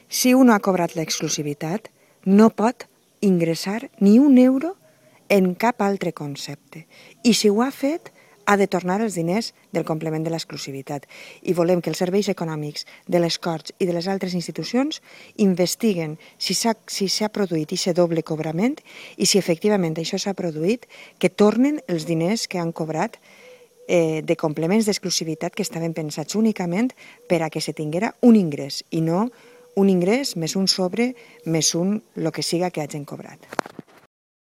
Si un ha cobrat l'exclusivitat, no pot ingressar ni €1 en cap altre concepte. I si ho ha fet, ha de tornar els diners del complement de l'exclusivitat. I volem que els serveis econòmics de les Corts i de les altres institucions investiguen si s'ha produït aquest doble cobrament i si efectivament això s'ha produït, que tornen els diners que han cobrat de complements d'exclusivitat que estaven pensats únicament per a que se tinguera un ingrés i no un ingrés més un sobre més el que siga que hagin cobrat.